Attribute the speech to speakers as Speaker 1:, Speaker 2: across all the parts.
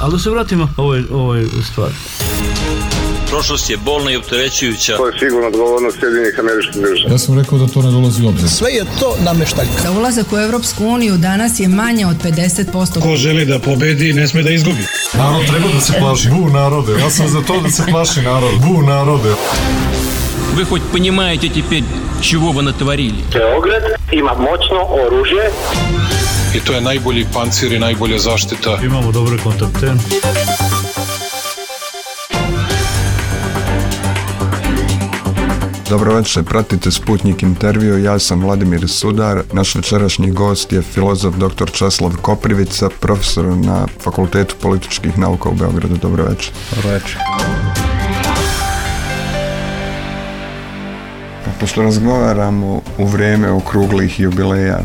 Speaker 1: Ali da se vratimo ovoj stvari.
Speaker 2: Prošlost je bolna i opterećujuća.
Speaker 3: To je sigurno odgovornost Sjedinjenih Američkih Država.
Speaker 4: Ja sam rekao da to ne dolazi u obzir.
Speaker 5: Sve je to nameštaljka.
Speaker 6: Za ulazak u Evropsku uniju danas je manje od 50%.
Speaker 7: Ko želi da pobedi, ne sme da izgubi.
Speaker 4: Narod treba da se plaši. Bu narode. Ja sam za to da se plaši narod. Bu narode.
Speaker 2: Вы хоть понимаете теперь, чего вы натворили?
Speaker 3: Beograd ima moćno oružje.
Speaker 7: I to je najbolji pancir i najbolja zaštita.
Speaker 1: Imamo dobre kontakte.
Speaker 8: Dobro večer, pratite Sputnik intervju, ja sam Vladimir Sudar, naš večerašnji gost je filozof dr. Česlav Koprivica, profesor na Fakultetu političkih nauka u Beogradu. Dobro večer.
Speaker 5: Dobro večer.
Speaker 8: Pošto razgovaramo u vrijeme okruglih jubileja,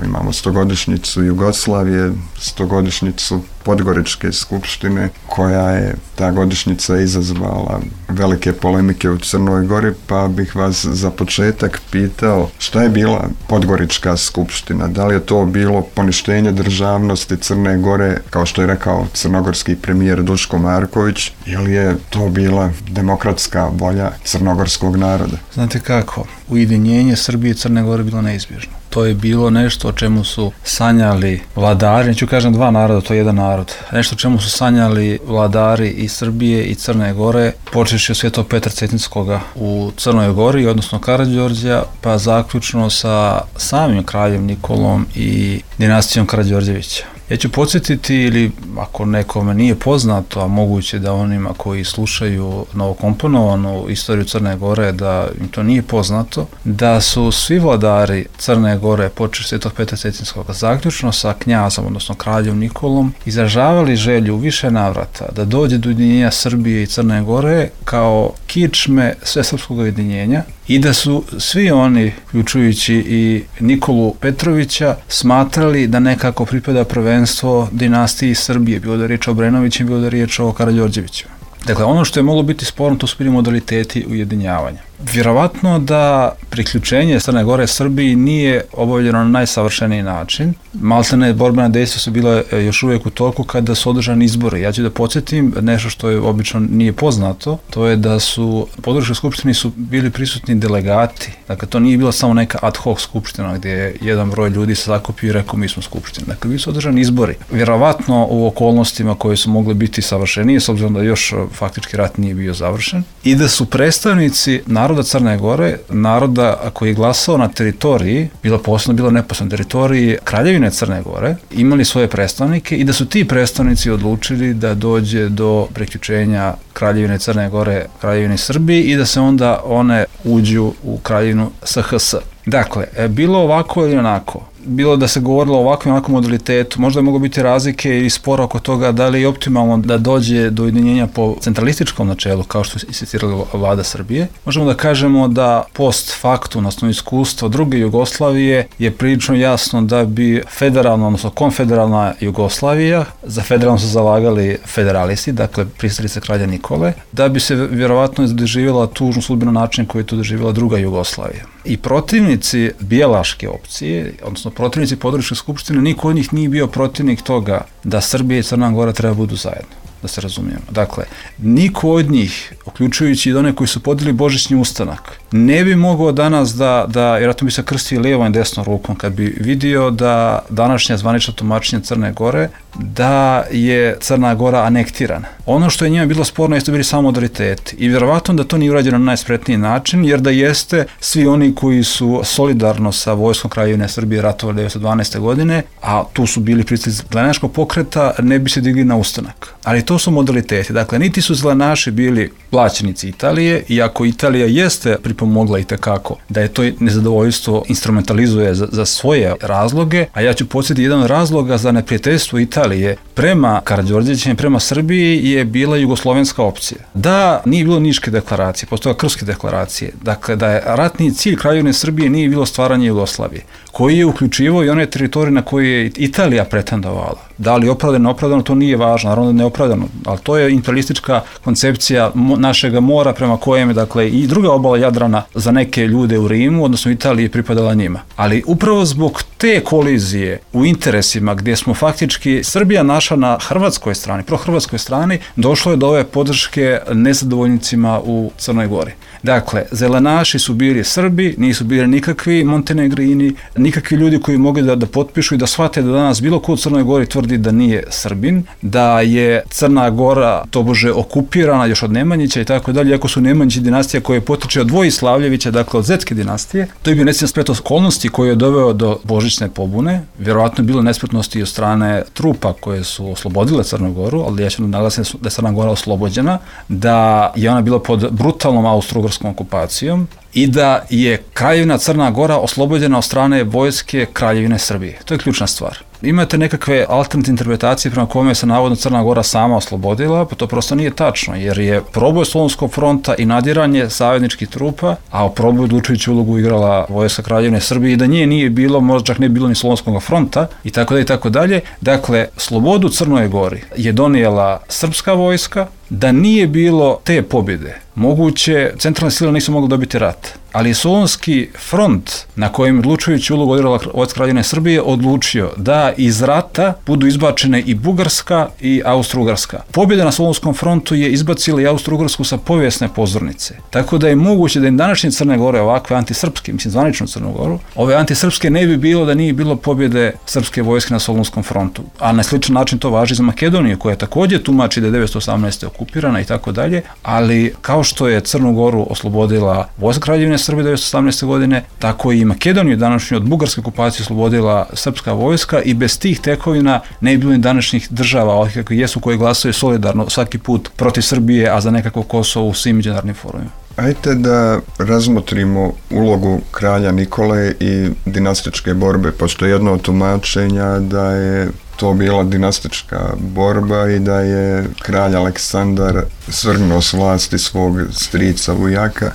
Speaker 8: imamo 100-godišnjicu Jugoslavije, 100-godišnjicu Podgoričke skupštine, koja je ta godišnjica izazvala velike polemike u Crnoj Gori, pa bih vas za početak pitao šta je bila Podgorička skupština? Da li je to bilo poništenje državnosti Crne Gore, kao što je rekao crnogorski premijer Duško Marković, ili je to bila demokratska volja crnogorskog naroda?
Speaker 5: Znate kako, ujedinjenje Srbije i Crne Gore bilo neizbježno. To je bilo nešto o čemu su sanjali vladari, neću kažem dva naroda, to je jedan narod. Nešto o čemu su sanjali vladari i Srbije i Crne Gore, počevši od Svetog Petra Cetinskoga u Crnoj Gori, odnosno Karađorđa, pa zaključno sa samim kraljem Nikolom i dinastijom Karađorđevića. Ja ću podsjetiti, ili ako nekome nije poznato, a moguće da onima koji slušaju novokomponovanu istoriju Crne Gore, da im to nije poznato, da su svi vladari Crne Gore, počeš Svetog Petra Cetinskoga, zaključno sa knjazom, odnosno kraljem Nikolom, izražavali želju u više navrata da dođe do ujedinjenja Srbije i Crne Gore kao kičme svesrpskog ujedinjenja i da su svi oni, uključujući i Nikolu Petrovića, smatrali da nekako pripada prvenstvo dinastiji Srbije, bilo da je riječ o Obrenovićima, bilo da je riječ o Karađorđevićima. Dakle, ono što je moglo biti sporno, to su bili modaliteti ujedinjavanja. Vjerovatno da priključenje Crne Gore Srbiji nije obavljeno na najsavršeniji način. Maltene borbena dejstva su bila još uvijek u toku kada su održani izbori. Ja ću da podsjetim nešto što je obično nije poznato, to je da su u Podgoričkoj skupštini su bili prisutni delegati. Dakle, to nije bila samo neka ad hoc skupština gdje je jedan broj ljudi se zakupio i rekao mi smo skupština. Dakle, bili su održani izbori. Vjerovatno u okolnostima koje su mogle biti savršenije, s obzirom da još faktički rat nije bio završen, i da su predstavnici naroda Crne Gore, naroda koji je glasao na teritoriji, bilo neposredno teritoriji Kraljevine Crne Gore, imali svoje predstavnike i da su ti predstavnici odlučili da dođe do priključenja Kraljevine Crne Gore, Kraljevine Srbije i da se onda one uđu u Kraljevinu SHS. Dakle, bilo ovako ili onako, bilo da se govorilo o ovakvom i onakvom modalitetu, možda je moglo biti razlike i spora oko toga da li je optimalno da dođe do ujedinjenja po centralističkom načelu, kao što je insistirala vlada Srbije. Možemo da kažemo da post factum, na osnovu iskustva druge Jugoslavije, je prilično jasno da bi federalna, odnosno konfederalna Jugoslavija, za federalno su zalagali federalisti, dakle pristalice kralja Nikole, da bi se vjerovatno doživjela tužnu sudbinu način koji je to doživjela druga Jugoslavija. I protivnici bijelaške opcije, odnosno protivnici Podgoričke skupštine, niko od njih nije bio protivnik toga da Srbija i Crna Gora treba budu zajedno, da se razumijemo. Dakle, niko od njih, uključujući i one koji su podijeli Božićni ustanak, ne bi mogao danas da vjerojatno bi se krstio lijevom i desnom rukom kad bi vidio da današnja zvanična tumačenja Crne Gore, da je Crna Gora anektirana. Ono što je njima bilo sporno jeste bili samo modaliteti i vjerovatno da to nije urađeno na najspretniji način, jer da jeste, svi oni koji su solidarno sa vojskom Kraljevine Srbije ratovali 1912. godine, a tu su bili predstavnici zelenaškog pokreta, ne bi se digli na ustanak. Ali to su modaliteti. Dakle, niti su zelenaši bili plaćenici Italije, iako Italija jeste pripomogla itekako da je to nezadovoljstvo instrumentalizuje za svoje razloge, a ja ću podsjetiti jedan od razloga za neprijateljstvo Italije prema Karađorđevićima i prema Srbiji je bila jugoslovenska opcija. Da nije bilo Niške deklaracije, postoje Krfske deklaracije, dakle da je ratni cilj Kraljevine Srbije nije bilo stvaranje Jugoslavije. koji je uključivao i one teritorije na koje je Italija pretendovala. Da li opravdano, neopravdano, to nije važno, naravno neopravdano, ali to je imperialistička koncepcija našega mora prema kojem je, dakle, i druga obala Jadrana za neke ljude u Rimu, odnosno Italiji, pripadala njima. Ali upravo zbog te kolizije u interesima gdje smo faktički Srbija naša na hrvatskoj strani, prohrvatskoj strani, došlo je do ove podrške nezadovoljnicima u Crnoj Gori. Dakle, zelenaši su bili Srbi, nisu bili nikakvi Montenegrini, nikakvi ljudi koji mogli da potpišu i da shvate da danas bilo ko u Crnoj Gori tvrdi da nije Srbin, da je Crna Gora tobože okupirana još od Nemanjića i tako dalje, iako su Nemanjići dinastija koja potiče od Vojislavljevića, dakle od Zetske dinastije. To je bio nesretni splet okolnosti koji je doveo do božićne pobune, vjerovatno je bilo nespretnosti od strane trupa koje su oslobodile Crnu Goru, ali ja ću naglasiti da je Crna Gora oslobođena, da je ona bila pod brutalnom austro-ugarskom okupacijom i da je Kraljevina Crna Gora oslobođena od strane vojske Kraljevine Srbije. To je ključna stvar. Imate nekakve alternativne interpretacije prema kome se navodno Crna Gora sama oslobodila, pa to prosto nije tačno, jer je proboj Solunskog fronta i nadiranje savezničkih trupa, a u proboju odlučujuću ulogu igrala vojska Kraljevine Srbije i da nje nije bilo, možda čak ne bilo ni Solunskog fronta i tako dalje i tako dalje. Dakle, slobodu Crnoj Gori je donijela srpska vojska. Da nije bilo te pobjede, moguće centralne sile nisu mogli dobiti rat. Ali Solunski front, na kojem odlučujući ulogu odigrala vojska Kraljevine Srbije, odlučio da iz rata budu izbačene i Bugarska i Austro-Ugarska. Pobjeda na Solunskom frontu je izbacila i Austro-Ugarsku sa povijesne pozornice. Tako da je moguće da im današnje Crne Gore, ovakve antisrpske, mislim zvaničnu Crnu Goru, ove antisrpske ne bi bilo da nije bilo pobjede srpske vojske na Solunskom frontu. A na sličan način to važi za Makedoniju, koja također tumači da je 918. okupirana i tako dalje, ali kao što je Crnu Goru oslobodila vojska Kraljevine Srbije 1918. godine, tako i Makedoniju današnju od bugarske okupacije oslobodila srpska vojska i bez tih tekovina ne bi bilo ni današnjih država, ovih kakvi jesu, koji glasaju solidarno svaki put protiv Srbije, a za nekako Kosovo u svim međunarodnim forumima.
Speaker 8: Ajde da razmotrimo ulogu kralja Nikole i dinastičke borbe, pošto je jedno od tumačenja da je to bila dinastička borba i da je kralj Aleksandar svrgnuo s vlasti svog strica Vujaka,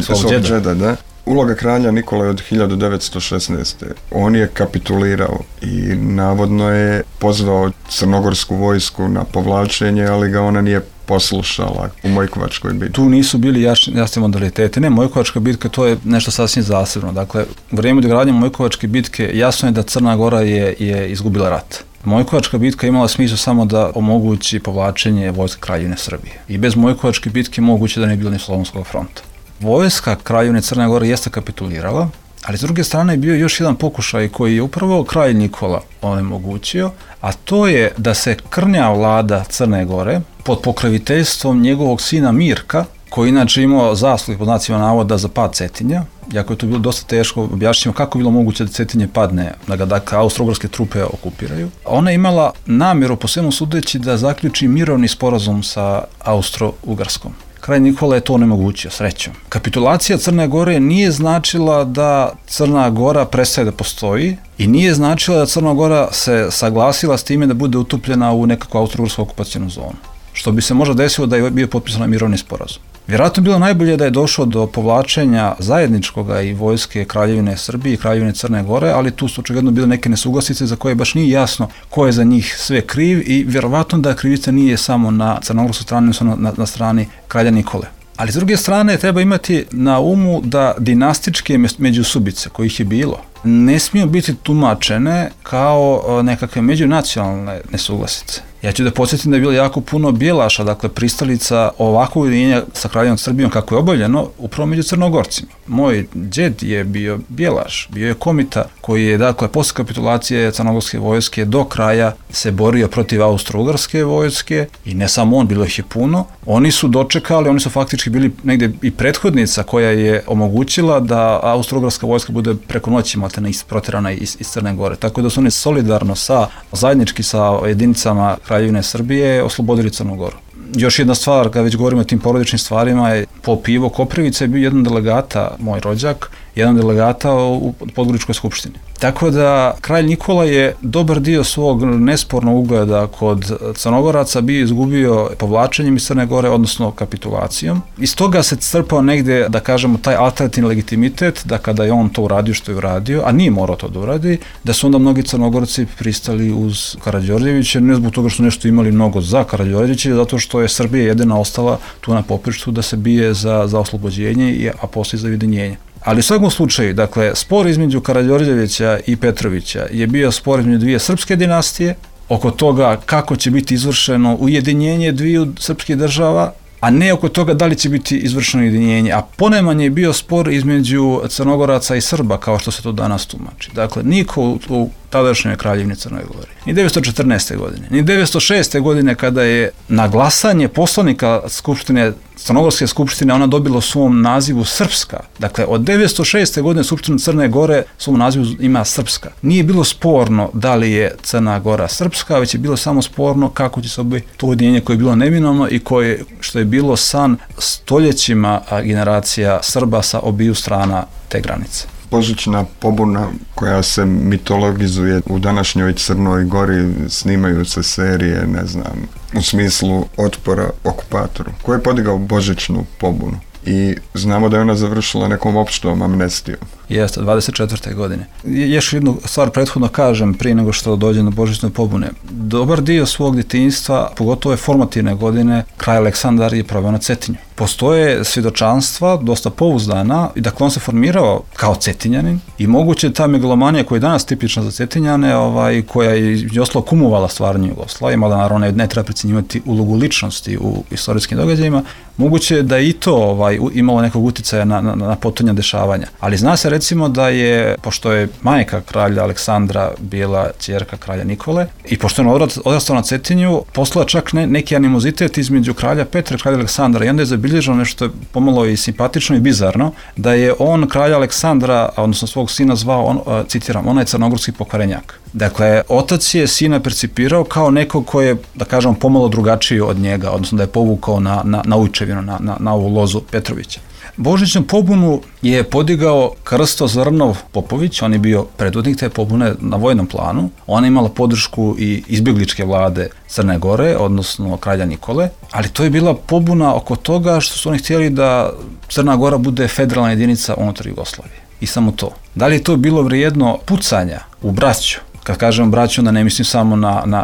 Speaker 8: svog džeda, da. Uloga kralja Nikole od 1916. On je kapitulirao i navodno je pozvao crnogorsku vojsku na povlačenje, ali ga ona nije poslušala u Mojkovačkoj bitki.
Speaker 5: Tu nisu bili jasni modaliteti. Ne, Mojkovačka bitka to je nešto sasvim zasebno. Dakle, u vrijeme dogradnje Mojkovačke bitke jasno je da Crna Gora je izgubila rat. Mojkovačka bitka imala smisla samo da omogući povlačenje vojske Kraljevine Srbije. I bez Mojkovačke bitke moguće da ne bilo ni Solunskog fronta. Vojska Kraljevine Crne Gore jeste kapitulirala, ali s druge strane je bio još jedan pokušaj koji je upravo kralj Nikola onemogućio, a to je da se krnja vlada Crne Gore pod pokroviteljstvom njegovog sina Mirka, koji inače imao zasluge pod znacima navoda za pad Cetinja, iako je to bilo dosta teško, objašnjimo kako je bilo moguće da Cetinje padne, da ga dakle austro-ugarske trupe okupiraju. Ona je imala namjeru, po svemu sudeći, da zaključi mirovni sporazum sa Austro-Ugarskom. Kralj Nikola je to onemogućio, srećom. Kapitulacija Crne Gore nije značila da Crna Gora prestaje da postoji i nije značila da Crna Gora se saglasila s time da bude utopljena u nekakvu austro-ugarsku okupacijnu zonu. Što bi se možda desilo da je bio potpisan mirovni sporazum. Vjerojatno je bilo najbolje da je došlo do povlačenja zajedničkoga i vojske Kraljevine Srbije i Kraljevine Crne Gore, ali tu su očigledno bile neke nesuglasice za koje baš nije jasno ko je za njih sve kriv i vjerovatno da krivica nije samo na crnogorskoj strani, odnosno na strani kralja Nikole. Ali s druge strane treba imati na umu da dinastičke međusubice, kojih je bilo, ne smiju biti tumačene kao nekakve međunacionalne nesuglasice. Ja ću da podsjetim da je bilo jako puno bijelaša, dakle pristalica ovakvog ujedinjenja sa Kraljevom Srbijom kako je obavljeno upravo među Crnogorcima. Moj džed je bio bijelaš, bio je komita koji je dakle posle kapitulacije crnogorske vojske do kraja se borio protiv austro-ugarske vojske i ne samo on, bilo ih je puno. Oni su dočekali, oni su faktički bili negdje i prethodnica koja je omogućila da austro-ugarska vojska bude preko noći proterana iz Crne Gore. Tako da su oni solidarno zajednički sa jedinicama Kraljevine Srbije oslobodili Crnu Goru. Još jedna stvar, kada već govorimo o tim porodičnim stvarima, je Pop Ivo Koprivica je bio jedan delegata, moj rođak, jedan delegata u Podgoričkoj skupštini. Tako da kralj Nikola je dobar dio svog nespornog ugleda kod Crnogoraca bio izgubio povlačenjem iz Crne Gore, odnosno kapitulacijom. Iz toga se crpao negdje, da kažemo, taj alternativni legitimitet, da kada je on to uradio što je uradio, a nije morao to da uradi, da su onda mnogi Crnogorci pristali uz Karađorđevića, ne zbog toga što nešto imali mnogo za Karađorđevića, zato što je Srbija jedina ostala tu na poprištu da se bije za oslobođenje, a poslije za ujedinjenje. Ali u svakom slučaju, dakle, spor između Karađorđevića i Petrovića je bio spor između dvije srpske dinastije, oko toga kako će biti izvršeno ujedinjenje dviju srpskih država, a ne oko toga da li će biti izvršeno ujedinjenje, a ponajmanje je bio spor između Crnogoraca i Srba, kao što se to danas tumači. Dakle, niko u tadašnjoj kraljevini Crnoj Gori, ni 914. godine, ni 906. godine kada je na glasanje poslanika Skupštine, Crnogorske skupštine, ona dobila u svom nazivu Srpska. Dakle, od 906. godine Skupština Crne Gore u svom nazivu ima Srpska. Nije bilo sporno da li je Crna Gora srpska, već je bilo samo sporno kako će se obaviti to ujedinjenje koje je bilo neminovno i što je bilo san stoljećima generacija Srba sa obiju strana te granice.
Speaker 8: Božićna pobuna koja se mitologizuje u današnjoj Crnoj Gori, snimaju se serije, ne znam, u smislu otpora okupatoru. Ko je podigao Božićnu pobunu? I znamo da je ona završila nekom opštom amnestijom.
Speaker 5: Jeste, 24. godine. Još jednu stvar prethodno kažem prije nego što dođe do Božićne pobune. Dobar dio svog djetinjstva, pogotovo je formativne godine, kralj Aleksandar je proveo na Cetinju. Postoje svjedočanstva, dosta pouzdana, i dakle on se formirao kao Cetinjanin i moguće ta megalomanija koja je danas tipična za Cetinjane, koja je ostalo kumovala stvaranje Jugoslavije, mada naravno ne treba precenjivati ulogu ličnosti u istorijskim događajima, moguće da i to imalo nekog uticaja na potonja dešavanja. Ali zna se recimo da je, pošto je majka kralja Aleksandra bila ćerka kralja Nikole i pošto je odrastao na Cetinju, poslala čak neki animozitet između kralja Petra i kralja Aleksandra i onda je zabilježeno nešto pomalo i simpatično i bizarno, da je on kralja Aleksandra, odnosno svog sina zvao, citiram, onaj crnogorski pokvarenjak. Dakle, otac je sina percipirao kao nekog ko je, da kažem, pomalo drugačiji od njega, odnosno da je povukao na ujčevinu, na ovu lozu Petrovića. Božićnu pobunu je podigao Krsto Zrnov Popović, on je bio predvodnik te pobune na vojnom planu, ona je imala podršku i izbjegličke vlade Crne Gore, odnosno kralja Nikole, ali to je bila pobuna oko toga što su oni htjeli da Crna Gora bude federalna jedinica unutar Jugoslavije. I samo to. Da li je to bilo vrijedno pucanja u braću? Kad kažem braću, onda ne mislim samo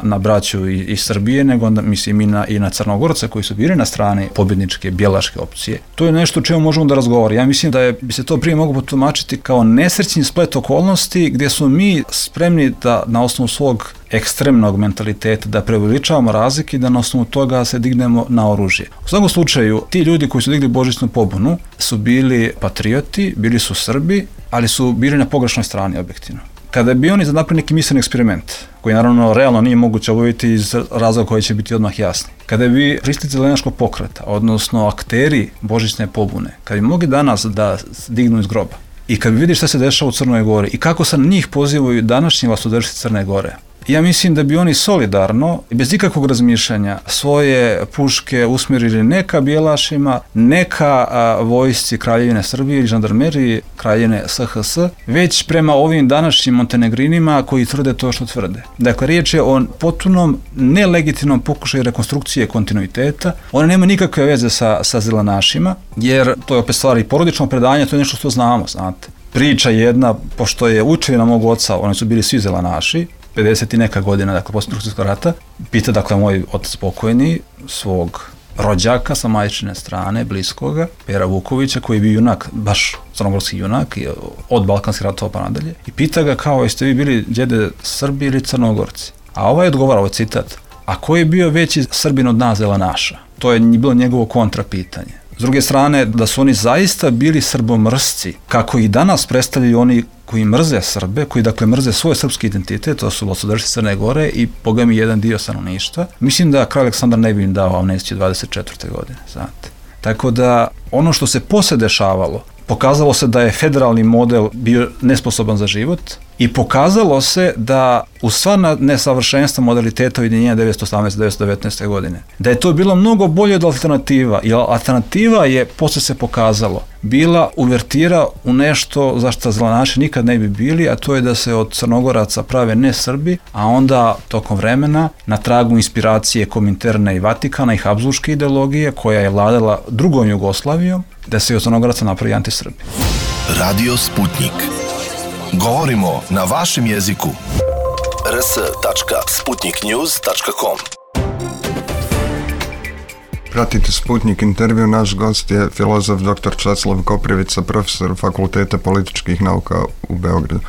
Speaker 5: na braću iz Srbije, nego onda mislim i na Crnogorce koji su bili na strani pobjedničke bjelaške opcije. To je nešto o čemu možemo da razgovaramo. Ja mislim da bi se to prije moglo potumačiti kao nesrećni splet okolnosti gdje smo mi spremni da na osnovu svog ekstremnog mentaliteta da preuveličavamo razlike i da na osnovu toga se dignemo na oružje. U svakom slučaju, ti ljudi koji su digli Božićnu pobunu su bili patrioti, bili su Srbi, ali su bili na pogrešnoj strani objektivno. Kada bi oni napravili neki misleni eksperiment, koji naravno realno nije moguće obaviti iz razloga koji će biti odmah jasni, kada bi pristalice zelenaškog pokreta, odnosno akteri Božićne pobune, kada bi mogli danas da dignu iz groba i kad bi vidi šta se dešava u Crnoj Gori i kako se na njih pozivaju današnji vlastodršci Crne Gore, ja mislim da bi oni solidarno i bez ikakvog razmišljanja svoje puške usmjerili neka bjelašima, neka vojsci Kraljevine Srbije i žandarmeriji Kraljevine SHS, već prema ovim današnjim montenegrinima koji tvrde to što tvrde. Dakle, riječ je o potpunom nelegitimnom pokušaju rekonstrukcije kontinuiteta. Ona nema nikakve veze sa zelenašima, jer to je opet stvari porodično predanje, to je nešto što znamo, znate. Priča jedna, pošto je učevina mog oca, oni su bili svi zelenaši, 50 i neka godina, dakle, poslije Drugog svjetskog rata, pita, dakle, moj otac pokojni, svog rođaka sa majčine strane, bliskoga, Pera Vukovića, koji je bio junak, baš crnogorski junak, od Balkanskih ratova pa nadalje, i pita ga kao, jeste vi bili djede Srbi ili Crnogorci? A ovaj odgovara, ovaj citat, a ko je bio veći Srbin od nas zelenaša? To je bilo njegovo kontrapitanje. S druge strane, da su oni zaista bili srbomrsci, kako i danas predstavljaju oni koji mrze Srbe, koji dakle mrze svoj srpski identitet, to su vlastodršci Crne Gore i bogami jedan dio stanovništva. Mislim da kralj Aleksandar ne bi im dao amnestiju 24. godine, znate. Tako da ono što se poslije dešavalo, pokazalo se da je federalni model bio nesposoban za život I pokazalo se da uz sva nesavršenstva modaliteta ujedinjenja 1918-1919. godine, da je to bilo mnogo bolje od alternativa, jer alternativa je, posle se pokazalo, bila uvertira u nešto za što zelenaši nikad ne bi bili, a to je da se od Crnogoraca prave ne Srbi, a onda tokom vremena na tragu inspiracije Kominterne i Vatikana i Habsburške ideologije koja je vladala drugom Jugoslavijom, da se od Crnogoraca napravi antisrbi.
Speaker 9: Radio Sputnik. Govorimo na vašem jeziku. rs.sputniknews.com.
Speaker 8: Pratite Sputnik intervju, naš gost je filozof dr. Časlav Koprivica, profesor Fakulteta političkih nauka u Beogradu.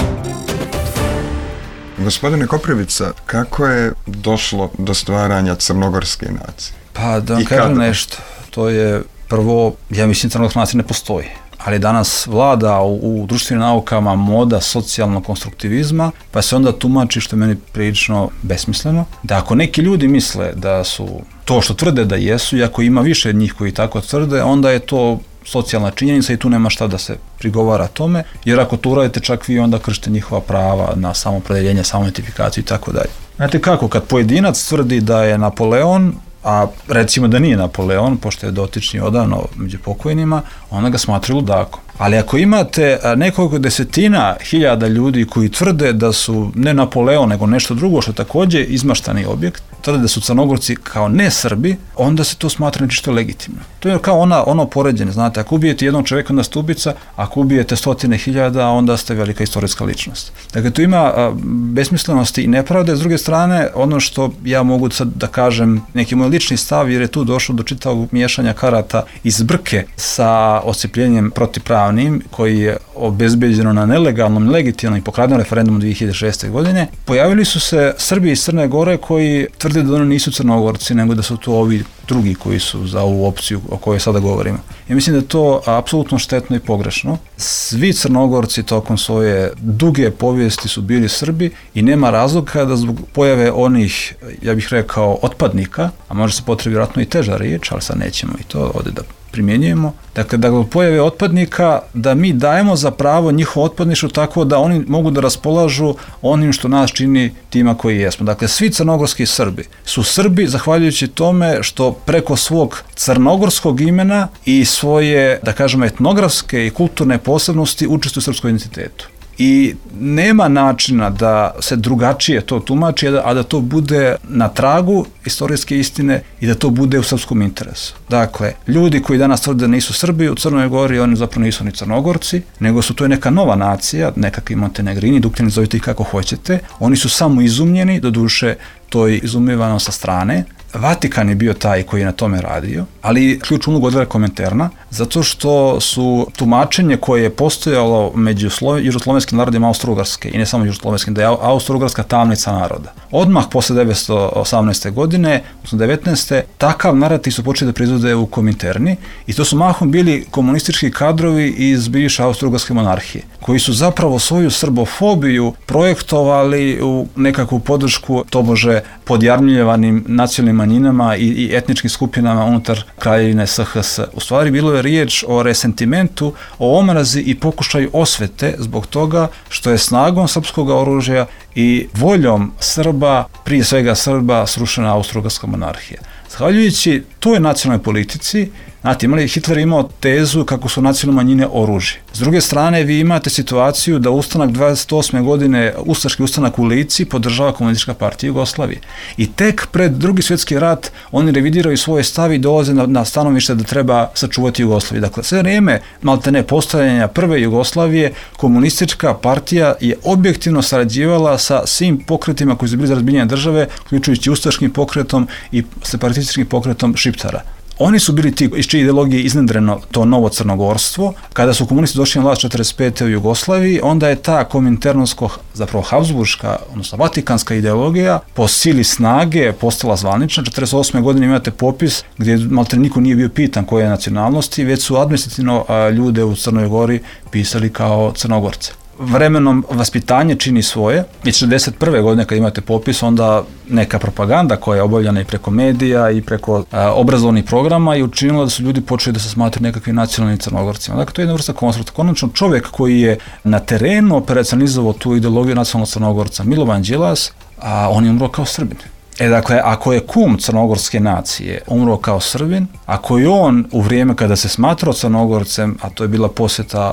Speaker 8: Gospodine Koprivica, kako je došlo do stvaranja crnogorske nacije?
Speaker 5: Pa da vam kažem nešto, to je prvo, ja mislim crnogorska nacija ne postoji, ali danas vlada u društvenim naukama moda socijalnog konstruktivizma, pa se onda tumači, što je meni prilično besmisleno, da ako neki ljudi misle da su to što tvrde da jesu, i ako ima više njih koji tako tvrde, onda je to socijalna činjenica i tu nema šta da se prigovara tome, jer ako to uradite, čak vi onda kršite njihova prava na samopredeljenje, samoidentifikaciju i tako dalje. Znate kako, kad pojedinac tvrdi da je Napoleon, a recimo da nije Napoleon, pošto je dotični odavno među pokojnima, onda ga smatraju ludakom. Ali ako imate nekoliko desetina hiljada ljudi koji tvrde da su ne Napoleon, nego nešto drugo, što takođe izmaštani objekt, tvrde da su Crnogorci kao ne Srbi, onda se to smatra nešto legitimno. To je kao ono poređenje, znate, ako ubijete jednog čoveka, onda ste ubica, ako ubijete 100.000, onda ste velika istorijska ličnost. Dakle, tu ima besmislenosti i nepravde. S druge strane, ono što ja mogu sad da kažem, neki moj lični stav, jer je tu došlo do čitavog miješanja karata iz brke sa oscijepljenjem protivpravnim, koji je obezbeđeno na nelegalnom, legitimnom i pokradenom referendumu 2006. godine, pojavili su se Srbi iz Crne Gore koji tvrde da oni nisu Crnogorci, nego da su to ovi drugi koji su za ovu opciju o kojoj sada govorimo. Ja mislim da je to apsolutno štetno i pogrešno. Svi Crnogorci tokom svoje duge povijesti su bili Srbi i nema razloga da zbog pojave onih, ja bih rekao, otpadnika, a može se potrebi vjerojatno i teža riječ, ali sad nećemo i to ovdje da primjenjujemo. Dakle, da zbog pojave otpadnika, da mi dajemo za pravo njihovo otpadništvo tako da oni mogu da raspolažu onim što nas čini tima koji jesmo. Dakle, svi crnogorski Srbi su Srbi zahvaljujući tome što preko svog crnogorskog imena i svoje, da kažemo, etnografske i kulturne posebnosti učestvuju u srpskom identitetu. I nema načina da se drugačije to tumači, a da to bude na tragu istorijske istine i da to bude u srpskom interesu. Dakle, ljudi koji danas tvrde da nisu Srbi u Crnoj Gori, oni zapravo nisu ni Crnogorci, nego su to neka nova nacija, nekakvi Montenegrini, Dukljani, zovite ih kako hoćete. Oni su samo izumljeni, doduše to je izumljivano sa strane. Vatikan je bio taj koji je na tome radio, ali ključnu ulogu odvela Kominterna, zato što su tumačenje koje je postojalo među južnoslovenskim narodima Austro-Ugarske, i ne samo južnoslovenskim, da je Austro-Ugarska tamnica naroda. Odmah posle 1918. godine, 1919. takav narativ su počeli da proizvode u Kominterni i to su mahom bili komunistički kadrovi iz bivše Austro-Ugarske monarhije, koji su zapravo svoju srbofobiju projektovali u nekakvu podršku tobože podjarmljivanim nacionalnim manjinama i etničkim skupinama unutar kraljevine SHS. U stvari bilo je riječ o resentimentu, o omrazi i pokušaju osvete zbog toga što je snagom srpskog oružja i voljom Srba, prije svega Srba, srušena Austro-Ugarska monarhija. Zahvaljujući toj nacionalnoj politici, znate, Hitler je imao tezu kako su nacionalne manjine oružje. S druge strane, vi imate situaciju da ustanak 28. godine, ustaški ustanak u Lici, podržava Komunistička partija Jugoslavije. I tek pred Drugi svjetski rat oni revidiraju svoje stavi i dolaze na stanovište da treba sačuvati Jugoslaviju. Dakle, sve vrijeme maltene postojanja prve Jugoslavije, Komunistička partija je objektivno sarađivala sa svim pokretima koji su bili za razbijanje države, uključujući ustaškim pokretom i separatističkim pokretom Šiptara. Oni su bili ti iz čije ideologije iznedreno to novo crnogorstvo. Kada su komunisti došli na vlast 1945. u Jugoslaviji, onda je ta kominternonsko, zapravo habsburška, odnosno vatikanska ideologija po sili snage postala zvanična. 1948. godine imate popis gdje maltene niko nije bio pitan koje je nacionalnosti, već su administrativno ljude u Crnoj Gori pisali kao Crnogorce. vremenom vaspitanje čini svoje. I 1941. godine kad imate popis, onda neka propaganda koja je obavljena i preko medija i preko obrazovnih programa i učinila da su ljudi počeli da se smatraju nekakvim nacionalnim Crnogorcima. Dakle, to je jedna vrsta konstrukta. Konačno čovjek koji je na terenu operacionalizovao tu ideologiju nacionalnog Crnogorca, Milovan Đilas, a on je umro kao Srbin. Dakle, ako je kum crnogorske nacije umro kao Srbin, ako je on u vrijeme kada se smatrao Crnogorcem, a to je bila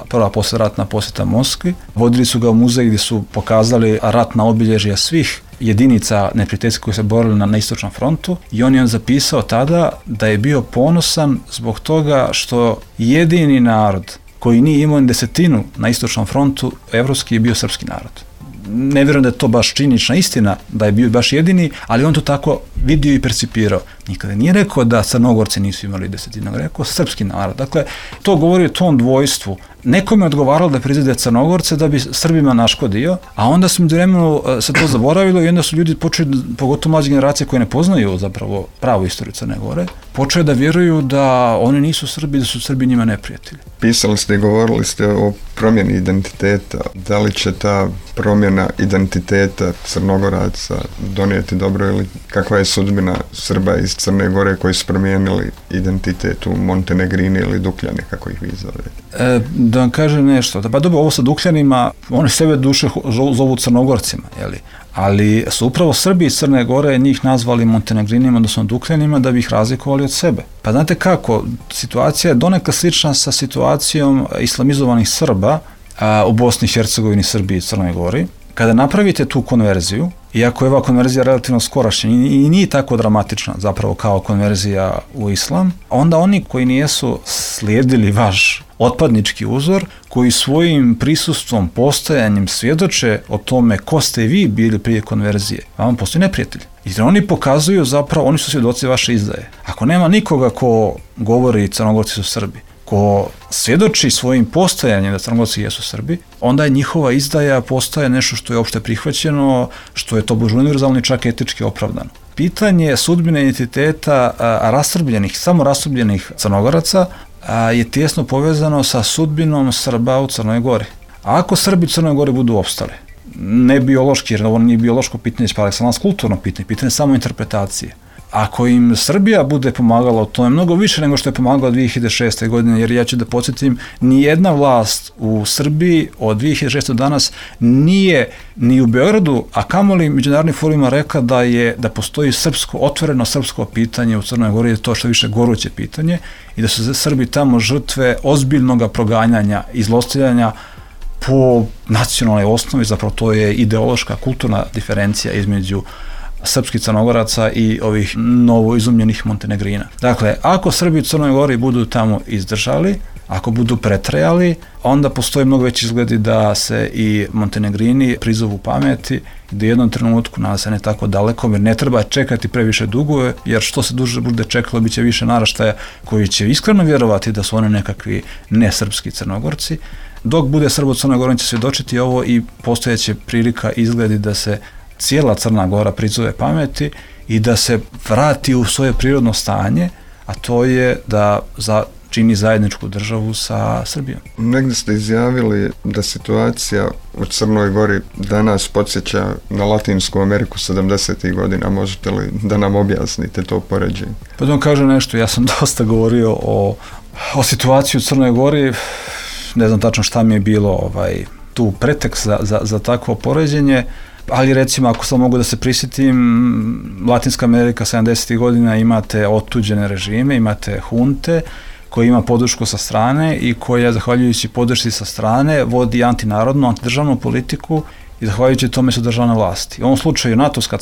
Speaker 5: prva poslijeratna posjeta Moskvi, vodili su ga u muzej gdje su pokazali ratna obilježja svih jedinica neprijateljskih koji se borili na istočnom frontu i on je zapisao tada da je bio ponosan zbog toga što jedini narod koji nije imao ni desetinu na istočnom frontu evropski je bio srpski narod. Ne vjerujem da je to baš činjenična istina, da je bio baš jedini, ali on to tako vidio i percipirao. Nikada nije rekao da Crnogorci nisu imali desetinu, rekao srpski narod. Dakle, to govori o tom dvojstvu. Nekome je odgovaralo da prizade Crnogorce da bi Srbima naškodio, a onda su vremenu se to zaboravilo i onda su ljudi počeli, pogotovo mlađe generacije koje ne poznaju zapravo pravu istoriju Crne Gore, počeli da vjeruju da oni nisu Srbi, da su Srbi njima neprijatelji.
Speaker 8: Pisali ste i govorili ste o promjeni identiteta. Da li će ta promjena identiteta Crnogoraca donijeti dobro ili kakva je sudbina Srba iz Crne Gore koji su promijenili identitet u Montenegrini ili Dukljani, kako ih vi zovete?
Speaker 5: Da vam kažem nešto, pa dobro, ovo sa Dukljanima, oni sebe duše zovu Crnogorcima, jeli? Ali su upravo Srbi iz Crne Gore njih nazvali Montenegrinima, odnosno Dukljanima, da bi ih razlikovali od sebe. Pa znate kako, situacija je donekle slična sa situacijom islamizovanih Srba u Bosni i Hercegovini, Srbiji i Crnoj Gori. Kada napravite tu konverziju, iako je ova konverzija relativno skorašnja i nije tako dramatična zapravo kao konverzija u islam, onda oni koji nijesu slijedili vaš otpadnički uzor, koji svojim prisustvom, postojanjem svjedoče o tome ko ste vi bili prije konverzije, a vam postoji neprijatelj. I oni pokazuju zapravo, oni su svjedoci vaše izdaje. Ako nema nikoga ko govori Crnogorci su Srbi, ko svjedoči svojim postojanjem da Crnogorci jesu Srbi, onda je njihova izdaja postaje nešto što je opšte prihvaćeno, što je to univerzalno i čak etički opravdano. Pitanje sudbine identiteta samo rastrbljenih Crnogoraca je tijesno povezano sa sudbinom Srba u Crnoj Gori. A ako Srbi u Crnoj Gori budu opstali, ne biološki, jer ovo nije biološko pitanje, pa je kulturno pitanje samo interpretacije. Ako im Srbija bude pomagala u tome mnogo više nego što je pomagala 2006. godine, jer ja ću da podsjetim, nijedna vlast u Srbiji od 2006. do danas nije ni u Beogradu, a kamoli međunarodnim forumima rekla da postoji otvoreno srpsko pitanje u Crnoj Gori, to što više goruće pitanje i da su Srbi tamo žrtve ozbiljnog proganjanja i zlostavljanja po nacionalnoj osnovi, zapravo to je ideološka, kulturna diferencija između srpskih Crnogoraca i ovih novoizumljenih Montenegrina. Dakle, ako Srbi u Crnoj Gori budu tamo izdržali, ako budu pretrajali, onda postoji mnogo veći izgledi da se i Montenegrini prizovu pameti, da u jednom trenutku, nadam se ne tako daleko, jer ne treba čekati previše dugo, jer što se duže bude čekalo, bit će više naraštaja koji će iskreno vjerovati da su oni nekakvi nesrpski Crnogorci. Dok bude Srba u Crnoj Gori, će svjedočiti ovo i postojeće prilika izgledi da se cijela Crna Gora prizove pameti i da se vrati u svoje prirodno stanje, a to je da čini zajedničku državu sa Srbijom.
Speaker 8: Negdje ste izjavili da situacija u Crnoj Gori danas podsjeća na Latinsku Ameriku 70. godina. Možete li da nam objasnite to poređenje?
Speaker 5: Pa da vam kažem nešto, ja sam dosta govorio o situaciji u Crnoj Gori, ne znam tačno šta mi je bilo tu pretekst za takvo poređenje, ali recimo ako sam mogu da se prisjetim, Latinska Amerika 70. godina imate otuđene režime, imate hunte koja ima podršku sa strane i koja zahvaljujući podršci sa strane vodi antinarodnu, antidržavnu politiku i zahvaljujući tome su državne vlasti. U ovom slučaju NATO-ska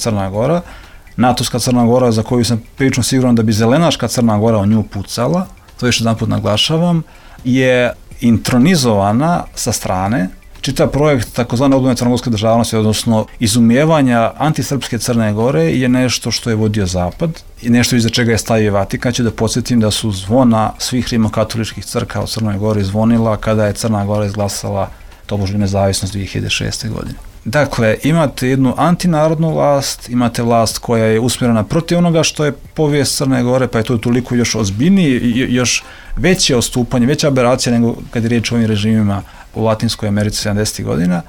Speaker 5: Crna Gora za koju sam prilično siguran da bi zelenaška Crna Gora o nju pucala, to još jedan put naglašavam, je intronizovana sa strane. Čitav projekt takozvane obnove crnogorske državnosti, odnosno izumijevanja antisrpske Crne Gore, je nešto što je vodio Zapad i nešto iza čega je stavio Vatikan. Ću da podsjetim da su zvona svih rimokatoličkih crkava u Crnoj Gori zvonila kada je Crna Gora izglasala tobožnju nezavisnost 2006. godine. Dakle, imate jednu antinarodnu vlast, imate vlast koja je usmjerena protiv onoga što je povijest Crne Gore, pa je to toliko još ozbiljnije, još veće odstupanje, veća aberacija nego kad je riječ o ovim režimima u Latinskoj Americi 70. godina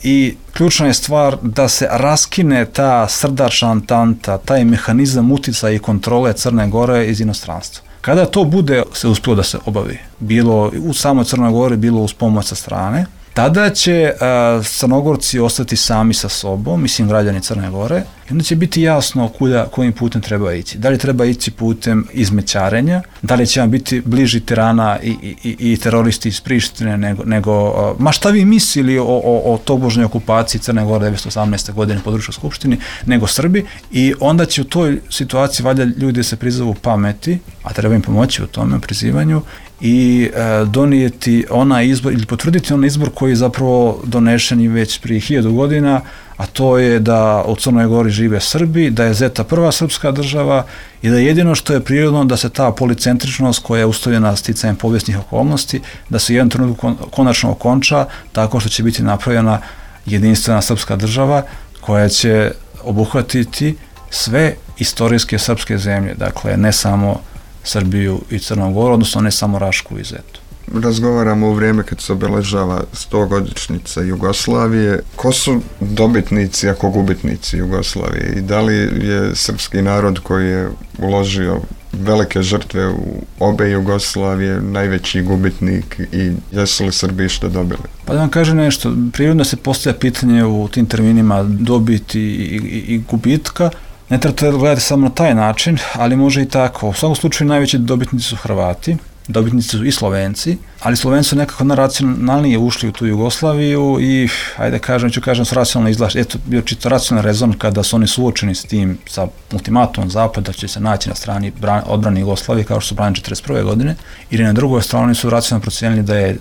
Speaker 5: i ključna je stvar da se raskine ta srdačna antanta, taj mehanizam uticaja i kontrole Crne Gore iz inostranstva. Kada to bude se uspjelo da se obavi, bilo u samoj Crnoj Gori, bilo uz pomoć sa strane, tada će Crnogorci ostati sami sa sobom, mislim građani Crne Gore, i onda će biti jasno kojim putem treba ići. Da li treba ići putem izmećarenja, da li će vam biti bliži tirana i teroristi iz Prištine nego ma šta vi mislili o tobožnjoj okupaciji Crne Gore 1918. godine području Skupštini, nego Srbi, i onda će u toj situaciji valjda ljudi se prizovu pameti, a treba im pomoći u tome prizivanju, i donijeti onaj izbor ili potvrditi onaj izbor koji je zapravo donešen i već prije 1000 godina, a to je da u Crnoj Gori žive Srbi, da je Zeta prva srpska država i da jedino što je prirodno da se ta policentričnost koja je uslovljena sticajem povijesnih okolnosti, da se jedan trenutku konačno okonča tako što će biti napravljena jedinstvena srpska država koja će obuhvatiti sve istorijske srpske zemlje, dakle ne samo Srbiju i Crnu Goru, odnosno ne samo Rašku i Zetu.
Speaker 8: Razgovaramo u vrijeme kad se obeležava 100-godišnjica Jugoslavije. Ko su dobitnici, ako gubitnici Jugoslavije? I da li je srpski narod koji je uložio velike žrtve u obe Jugoslavije najveći gubitnik i jesu li Srbi što dobili?
Speaker 5: Pa da vam kažem nešto, prirodno se postavlja pitanje u tim terminima dobiti i gubitka. Ne trebate gledati samo na taj način, ali može i tako. U svakom slučaju najveći dobitnici su Hrvati, dobitnici su i Slovenci, ali Slovenci su nekako racionalnije ušli u tu Jugoslaviju i, ajde kažem, su racionalno izlašli. Eto, bio čito racionalni rezon kada su oni suočeni s tim, sa ultimatumom Zapada, će se naći na strani odbrane Jugoslavije, kao što su branili 1941. godine, ili na drugoj strani su racionalno procijenili da je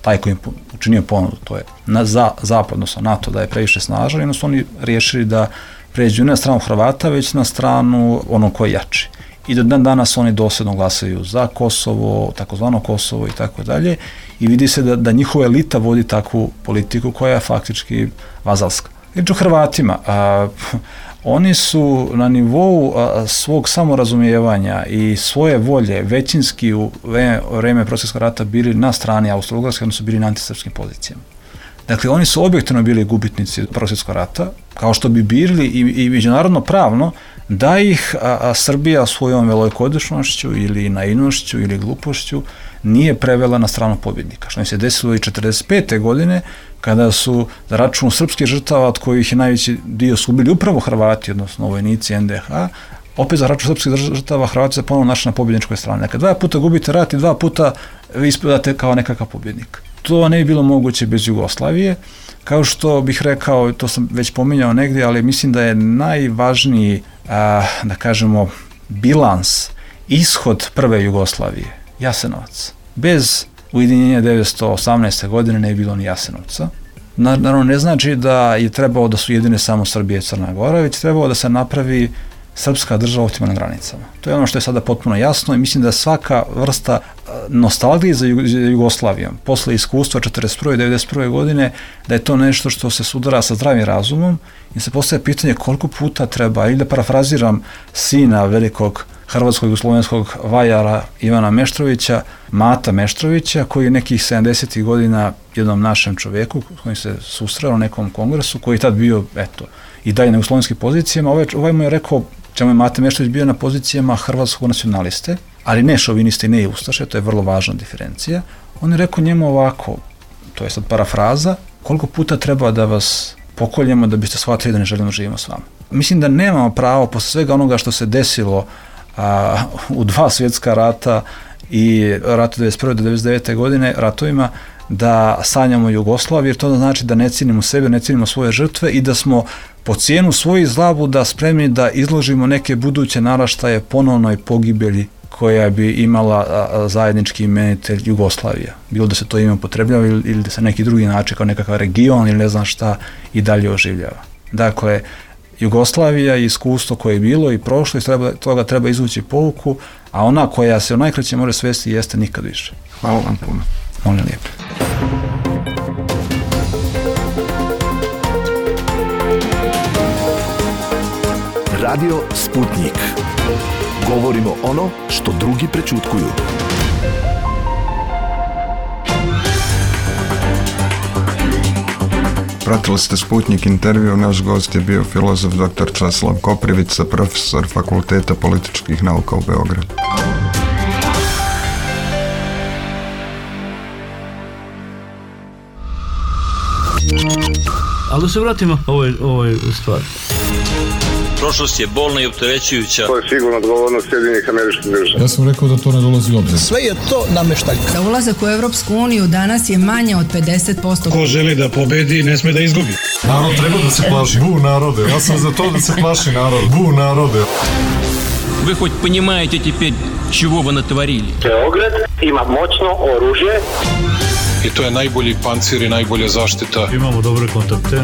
Speaker 5: taj koji im učinio ponudu, to je za Zapad, odnosno NATO, da je previše snažan, i su oni riješili da pređu ne na stranu Hrvata, već na stranu onog koji je jači. I do dan danas oni dosljedno glasaju za Kosovo, takozvano Kosovo i tako dalje, i vidi se da njihova elita vodi takvu politiku koja je faktički vazalska. Riječ o Hrvatima, oni su na nivou svog samorazumijevanja i svoje volje većinski u vreme Prvog svjetskog rata bili na strani Austro-Ugarske, odnosno bili na antisrpskim pozicijama. Dakle, oni su objektivno bili gubitnici Prvog svjetskog rata, kao što bi bili i međunarodno pravno, da ih Srbija svojom velikodušnošću ili naivnošću ili glupošću nije prevela na stranu pobjednika. Što im se desilo i 1945. godine, kada su za račun srpskih žrtava, od kojih je najveći dio su bili upravo Hrvati, odnosno vojnici NDH, opet za račun srpskih žrtava Hrvati se ponovno našli na pobjedničkoj strani. Dakle, 2 puta gubite rat i 2 puta vi ispadate kao nekakav pobjednik. To ne bi bilo moguće bez Jugoslavije. Kao što bih rekao, to sam već pominjao negdje, ali mislim da je najvažniji, da kažemo, bilans, ishod prve Jugoslavije, Jasenovac. Bez ujedinjenja 1918. godine ne bi bilo ni Jasenovca. Naravno, ne znači da je trebalo da su jedine samo Srbija i Crna Gora, već trebalo da se napravi srpska država u optimalnim granicama. To je ono što je sada potpuno jasno i mislim da svaka vrsta nostalgije za Jugoslavijom posle iskustva 1941. i 1991. godine, da je to nešto što se sudara sa zdravim razumom i se postavlja pitanje koliko puta treba, ili da parafraziram sina velikog hrvatskog i slovenskog vajara Ivana Meštrovića, Mata Meštrovića, koji je nekih 70. godina jednom našem čovjeku koji se susreo na nekom kongresu, koji je tad bio, i dalje na slovenskim pozicijama. Ovaj mu je rekao, čemu je Mate Meštrović bio na pozicijama hrvatskog nacionaliste, ali ne šoviniste i ne ustaše, to je vrlo važna diferencija. On je rekao njemu ovako, to je sad parafraza, koliko puta treba da vas pokoljemo da biste shvatili da ne želimo živimo s vama. Mislim da nemamo pravo posle svega onoga što se desilo u 2 svjetska rata i ratu 1991. do 1999. godine, ratovima, da sanjamo Jugoslaviju, jer to znači da ne cijenimo sebe, ne cijenimo svoje žrtve i da smo po cijenu svojih zlabuda spremni da izložimo neke buduće naraštaje ponovnoj pogibelji koja bi imala zajednički imenitelj Jugoslavija. Bilo da se to ime upotrebljava ili da se neki drugi način kao nekakav region ili ne znam šta i dalje oživljava. Dakle, Jugoslavija je iskustvo koje je bilo i prošlo i toga treba izvući pouku, a ona koja se u najkraće može svesti jeste nikad više.
Speaker 8: Hvala vam puno.
Speaker 5: Molim lijepo.
Speaker 9: Radio Sputnik. Govorimo ono što drugi prečutkuju.
Speaker 8: Pratili ste Sputnik intervju, naš gost je bio filozof dr. Časlav Koprivica, profesor Fakulteta političkih nauka u Beogradu.
Speaker 1: Ali da se vratimo ovoj stvari.
Speaker 2: Prošlost je bolna i opterećujuća.
Speaker 3: To je sigurno odgovornost Sjedinjenih Američkih Država.
Speaker 4: Ja sam rekao da to ne dolazi u obzir.
Speaker 10: Sve je to nameštaljka.
Speaker 6: Za ulazak u Europsku uniju danas je manje od 50%.
Speaker 10: Ko želi da pobedi, ne sme da izgubi.
Speaker 4: Narod treba da se plaši. Bu narode. Ja sam za to da se plaši narod. Bu narode.
Speaker 2: Вы хоть понимаете теперь, чего вы натворили?
Speaker 3: Beograd ima moćno oružje.
Speaker 7: I to je najbolji pancir i najbolja zaštita.
Speaker 1: Imamo dobre kontakte.